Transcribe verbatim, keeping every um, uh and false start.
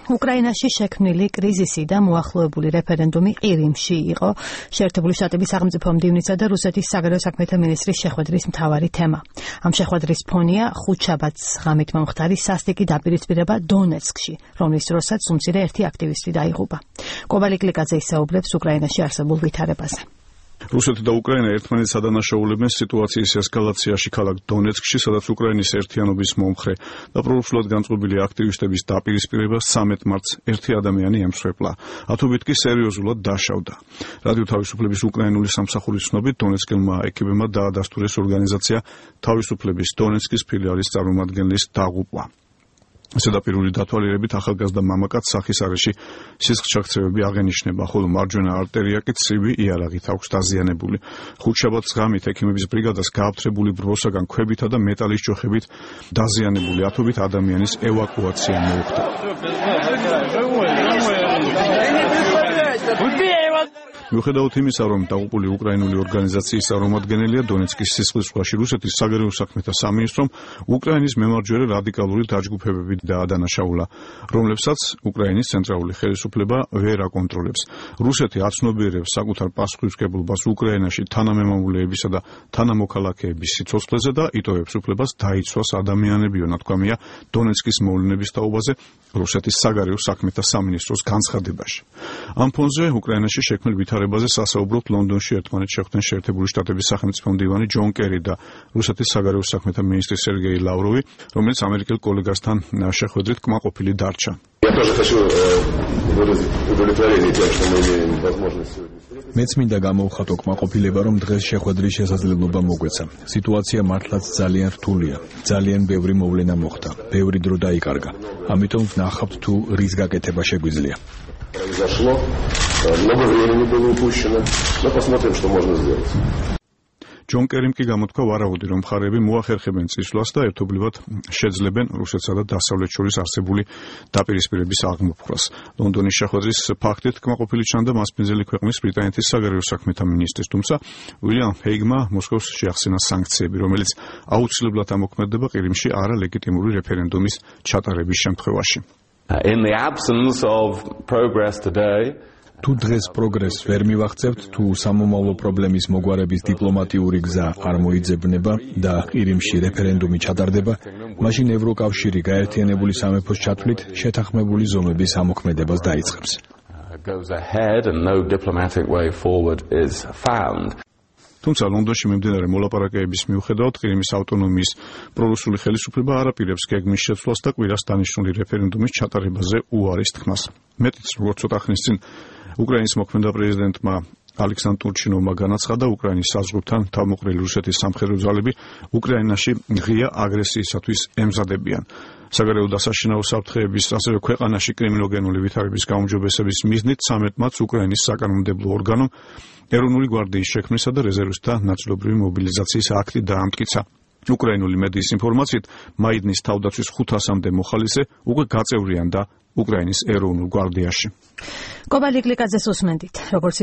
უკრაინაში შექმნილი კრიზისი და მოახლოებული რეფერენდუმი ყირიმში იყო შეერთებული შტატების სახელმწიფო მდივნისა და რუსეთის საგარეო საქმეთა მინისტრის შეხვედრის მთავარი თემა. ამ შეხვედრის ფონია ხუთშაბათს ღამით მომხდარი სასტიკი დაპირისპირება დონეცკში, რომლის დროსაც უმცირე ერთი აქტივისტი დაიღუპა. კობალი კლიკაძე ისაუბრებს უკრაინაში არსებულ ვითარებაზე. რუსეთი და უკრაინა ერთმანეთს ადანაშაულებენ სიტუაციის ესკალაციაში ქალაქ დონეცკში, სადაც უკრაინის ერთიანობის მომხრე და პრორუსულად განწყობილი აქტივისტების დაპირისპირებას ცამეტ მარტს ერთი ადამიანი ემსხვერპლა. ათობით კი სერიოზულად დაშავდა. რადიო თავისუფლების უკრაინული სამსახურის ცნობით, დონეცკელმა ეკიპებმა დაადასტურეს ორგანიზაცია თავისუფლების დონეცკის ფილიალის წარმომადგენლის დაღუპვა. ზედაპირული დათვალიერებით ახალგაზრდა მამაკაც სახის არეში სისხლჩაქცევები აღენიშნება, ხოლო მარჯვენა არტერია კი ცივი იარაღით აქვს დაზიანებული. ხუთშაბათს ღამით ექიმების ბრიგადას გააფთრებული ბროსაგან ქვებითა და მეტალის ჯოხებით დაზიანებული ათობით ადამიანის ევაკუაცია მოუხდა. მიუხედავად იმისა, რომ დაღუპული უკრაინული ორგანიზაციის წარმომადგენელია დონეცკის სისხლის ზღვაში რუსეთის საგარეო საქმეთა სამინისტრომ უკრაინის მემარჯვენე რადიკალური დაჯგუფებები დაადანაშაულა, რომლებსაც უკრაინის ცენტრალური ხელისუფლება ვერ აკონტროლებს. რუსეთი აცნობიერებს საკუთარ პასუხისმგებლობას უკრაინაში თანამემამულეებისა და თანამოქალაქეების სიცოცხლეზე და იტოვებს უფლებას დაიცვას ადამიანები, ნათქვამია დონეცკის მოვლენების თაობაზე რუსეთის საგარეო საქმეთა სამინისტროს განცხადებაში. ამ ფონზე უკრაინაში შექმნილ ვითარებაზე სასაუბროთ ლონდონში ერთმანეთს შეხვდნენ შეერთებული შტატების სახელმწიფო მდივანი ჯონ კერი და რუსეთის საგარეო საქმეთა მინისტრი სერგეი ლავროვი, რომელიც ამერიკელ კოლეგასთან შეხვედრით კმაყოფილი დარჩა. მეც მინდა გამოვხატო კმაყოფილება, რომ დღეს შეხვედრის შესაძლებლობა მოგვეცა. სიტუაცია მართლაც ძალიან რთულია. ძალიან ბევრი მოვლენა მოხდა. ბევრი დრო დაიკარგა. ამიტომ ვნახავთ თუ რის გაკეთება შეგვიძლია. Произошло, много времени было упущено, но посмотрим, что можно сделать. ჯონ კერიმ კი გამოთქვა ვარაუდი, რომ მხარეები მოახერხებენ წისვლას და ერთობლივად შეძლებენ რუსეთსა და დასავლეთ შორის არსებული დაპირისპირების აღმოფხვრას. ლონდონის შეხვედრის ფაქტით კმაყოფილი ჩანდა მასპინძელი ქვეყნის ბრიტანეთის საგარეო საქმეთა მინისტრის, თუმცა უილიამ ჰეიგმა მოსკოვს შეახსენა სანქციები, რომელიც აუცილებლად ამოქმედება ყირიმში არალეგიტიმური რეფერენდუმის ჩატარების შემთხვევაში. In the absence of progress today, თუ დღეს პროგრესს ვერ მივაღწევთ, თუ სამომავლო პრობლემის მოგვარების დიპლომატიური გზა არ მოიძებნება და ყირიმში რეფერენდუმი ჩატარდება, მაშინ ევროკავშირი გაერთიანებული სამეფოს ჩათვლით შეთანხმებული ზომების ამოქმედებას დაიწყებს. goes ahead and no diplomatic way forward is found. თუმცა ლონდონში მიმდინარე მოლაპარაკებების მიუხედავად ყირიმის ავტონომიის პრორუსული ხელისუფლება არ აპირებს გეგმის შეცვლას და კვირას დანიშნული რეფერენდუმის ჩატარებაზე უარის თქმას. მეტიც როგორც ცოტა ხნის წინ უკრაინის მოქმედა პრეზიდენტმა ალექსანდრ ტურჩინოვმა განაცხადა, უკრაინის საზღვრთან თავმოყრილი რუსეთის სამხედრო ძალები უკრაინაში ღია აგრესიისათვის ემზადებიან. საგარეო და საშინაო საფრთხეების, ასევე ქვეყანაში კრიმინოგენული ვითარების გაუმჯობესების მიზნით ცამეტ მარტს უკრაინის საკანონმდებლო ორგანომ ეროვნული გვარდიის შექმნისა და რეზერვისტთა ნაწილობრივი მობილიზაციის აქტი დაამტკიცა. უკრაინული მედიის ინფორმაციით, მაიდნის თავდაცვის ხუთასამდე მოხალისე უკვე გაწევრიანდა უკრაინის ეროვნულ გვარდიაში. კობალი კლიკაძეს უსმენდით, როგორც